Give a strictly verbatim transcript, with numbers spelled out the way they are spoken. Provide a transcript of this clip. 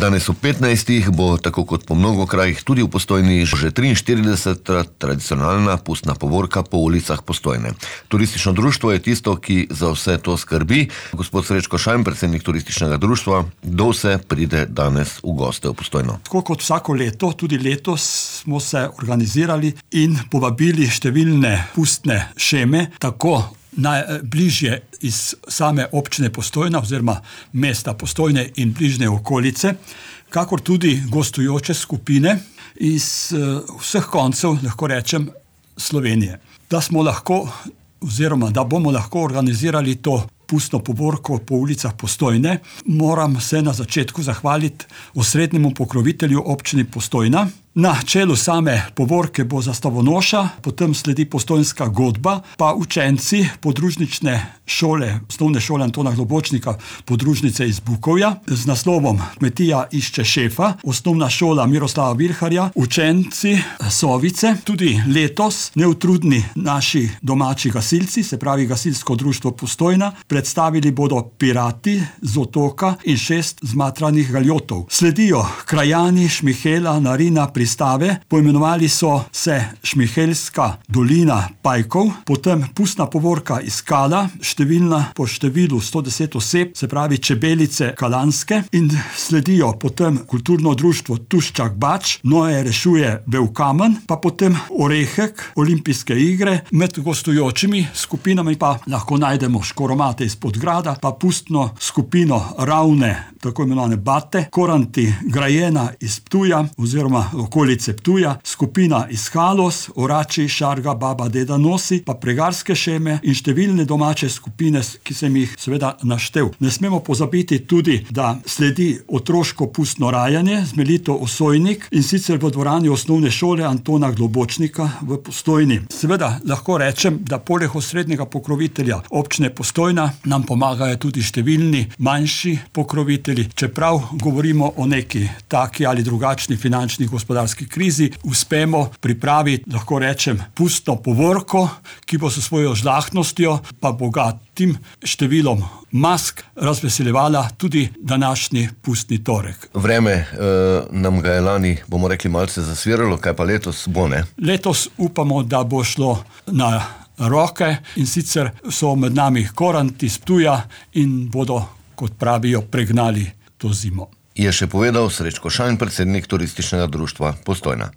Danes v petnajstih bo, tako kot po mnogo krajih, tudi v Postojni že triinštirideseta tradicionalna pustna povorka po ulicah Postojne. Turistično društvo je tisto, ki za vse to skrbi. Gospod Srečko Šajn, predsednik turističnega društva, kdo vse pride danes v goste v Postojno? Tako kot vsako leto, tudi letos smo se organizirali in povabili številne pustne šeme, tako najbližje iz same občine Postojna oziroma mesta Postojne in bližnje okolice, kakor tudi gostujoče skupine iz vseh koncev, lahko rečem, Slovenije. Da smo lahko oziroma da bomo lahko organizirali to pustno povorko po ulicah Postojne, moram se na začetku zahvaliti osrednjemu pokrovitelju občini Postojna. Na čelu same povorke bo zastavonoša, potem sledi postojnska godba, pa učenci podružnične šole, osnovne šole Antona Globočnika, podružnice iz Bukovja, z naslovom Kmetija išče šefa, osnovna šola Miroslava Vilharja, učenci Sovice, tudi letos neutrudni naši domači gasilci, se pravi Gasilsko društvo Postojna, predstavili bodo pirati z otoka in šest zmatranih galjotov. Sledijo krajani Šmihela, Narina, pristave, poimenovali so se Šmihelska dolina Pajkov, potem pustna povorka iz Kala, številna po številu sto deset oseb, se pravi Čebelice Kalanske, in sledijo potem kulturno društvo Tuščak Bač, Noe rešuje Belkamen, pa potem Orehek, olimpijske igre, med gostujočimi skupinami pa lahko najdemo Škoromate iz Podgrada, pa pustno skupino Ravne, tako imenovane Bate, Koranti Grajena iz Ptuja oziroma okolice Ptuja, skupina iz Halos, Orači, Šarga, Baba, Deda Nosi, pa pregarske šeme in številne domače skupine, ki sem jih seveda naštel. Ne smemo pozabiti tudi, da sledi otroško pustno rajanje z Melito Osojnik, in sicer v dvorani osnovne šole Antona Globočnika v Postojni. Seveda lahko rečem, da poleg osrednjega pokrovitelja občine Postojna nam pomagajo tudi številni manjši pokrovitelji. Čeprav govorimo o neki taki ali drugačni finančni gospodarski krizi, uspemo pripraviti, lahko rečem, pustno povorko, ki bo s svojo žlahtnostjo pa bogatim številom mask razveseljevala tudi današnji pustni torek. Vreme e, nam ga je lani, bomo rekli, malce zasviralo, kaj pa letos bo, ne? Letos upamo, da bo šlo na roke, in sicer so med nami Koranti iz Ptuja in bodo, kot pravijo, pregnali to zimo. Je še povedal Srečko Šajn, predsednik turističnega društva Postojna.